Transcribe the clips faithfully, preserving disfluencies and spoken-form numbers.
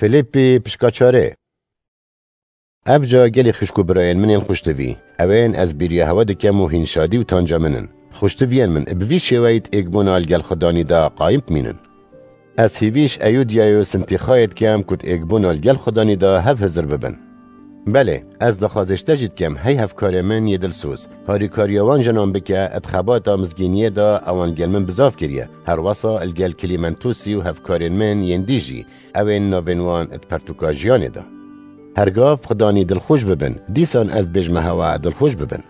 Fîlîpî pişka çarê. Ev ca gelî xişk û birayên min ên xuştivî, ewên ez bîriya hewe dikem û hîn şadî û tanca min in. Xuştiviyên min, bi vî şêweyî di êkbûna li gel Xudanî de qayîm bimînin. Ez hîvî ji Eyûdiyayê û Sintîxayê dikem ku di êkbûna li gel Xudanî de hev hizir bibin. Belê, ez daxwazê ji te jî dikem, hey hevkarê min yê dilsoz, harîkariya wan jinan bike, di xebata mizgîniyê de ewan gel min bizav kiriye, herwesa li gel Klîmentusî û hevkarên min yên dî jî, ewên navên wan di pertûka jiyanê de. Hergav Xudanî dilxweş bibin, dîsan ez dibêjime hewa dilxweş bibin.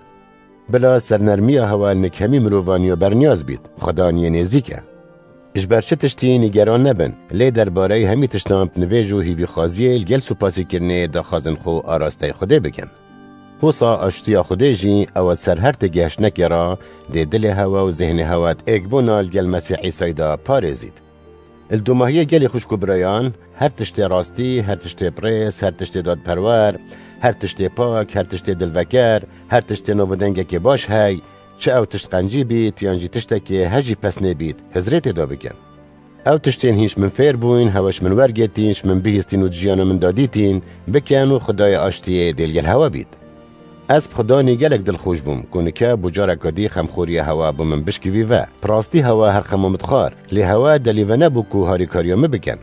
Bila sernermiya hewa li nik hemî mirovan ya berniyaz bît, Xudan yê nêzîk e. Ji ber çi tiştî nîgeran nebin, lê derbareyî hemî tiştan bi nivêj û hîvîxwaziyê li gel supasîkirinê daxwazên xwe arasteyê Xwedê bikin. Wisa aştiya Xwedê jî ew e ser her têgihiştnekê re, dê dilê hewa û zihnê hewa di êkbûna li gel Mesîh Îsayî de parêzît. Li domahiyê gelî xwişk û birayan, her tiştê rastî, her tiştê birêz, her tiştê dadperwer, her tiştê pak, her tiştê dilveker, her tiştê nav û dengekê baş hey, çi ew tişt qencî bît, yan jî tiştekê hejî pesnê bît, hizrê tê de bikin. Ew tiştên hîn ji min fêr bûyn, hewe ji min wergêtîn, ji min bihîstîn û di jiyana min de dîtîn, bikin û Xwedayê aştiyê dê li gel hewe bît. Ez bi Xudanî gelek dilxweş bûm ku nike bo careke dî xemxoriya hewa bo min bişkivî ve. Bi rastî hewa her xema min dixwar, lê hewa delî venebû ku harîkariya min bikin.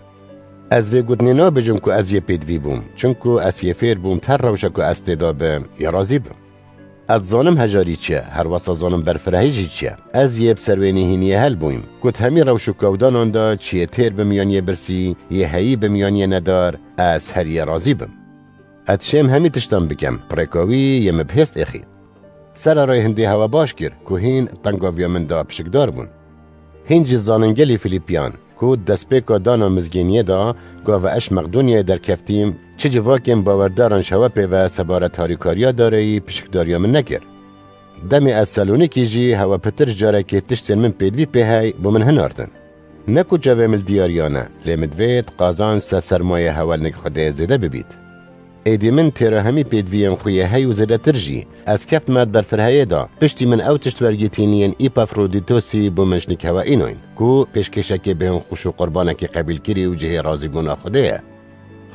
Ez vê gotinê nabêjim ku ez yê pêdivî bûm, çimku ez yê fêr bûm di her rewşa ku ez tê de bim, yê razî bim. Ez dizanim hejarî çi ye, herwesa zanim berfirehî jî çi ye. Ez yê bi serwênî hîniyê hel bûyim, ku di hemî rewş û kewdanan de çi yê têr bim yan yê birsî, yê heyî bim yan yê nedar, ez her yê razî bim. Ez dişêm hemî tiştan bikem, bi rêka wî yê min bihêst êxî. Sererê hindê hewa baş kir ku hîn tengaviya min de pişikdar bûn. Hîn jî zanin gelî Fîlîpiyan ku di destpêka dana mizgîniyê de gava ez ji Meqdonyayê derkeftîm, çi civakên bawerdaran ji hewe pê ve sebaret harîkariya dareyî pişikdariya min nekir. Demê ez Selonîkî jî hewe pitir ji carekê tiştên min pêdivî pê hey bo min hinartin. Ne ku çavê min li diyariya ne, lê min divêt qazanc ser sermayê hewe li nik Xwedê zêde bibît. Êdî min têra hemî pêdiviyên xwe yê hey û zêdetir jî, ez keftime di berfireheyê de, piştî min ew tişt wergîtîn yên Îpafrodîtosî bo min ji nik hewe înoyn, ku pêşkêşekê bêhn xweş û qurbanekê qebîlkirî û cihê razîbûna Xwedê ye.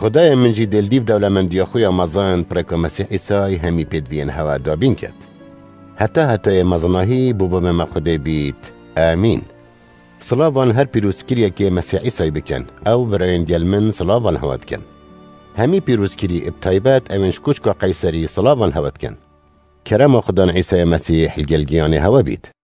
Xwedayê min jî dê li dîv dewlemendiya xwe ya mezin bi rêka Mesîh Îsayî hemî pêdiviyên hewe dabîn ket. Heta hetayê mezinahî bo bo me me Xwedê bît. Amîn. Silavan her pîrozkiriyekê Mesîh Îsayî bikin. Ew birayên gel min silavan hewe dikin. Hemî pîrozkirî, bi taybet ewên ji koçka Qeyserî silavan hewe dikin. Kerema Xudan Îsayê Mesîh li gel giyanê hewe bît.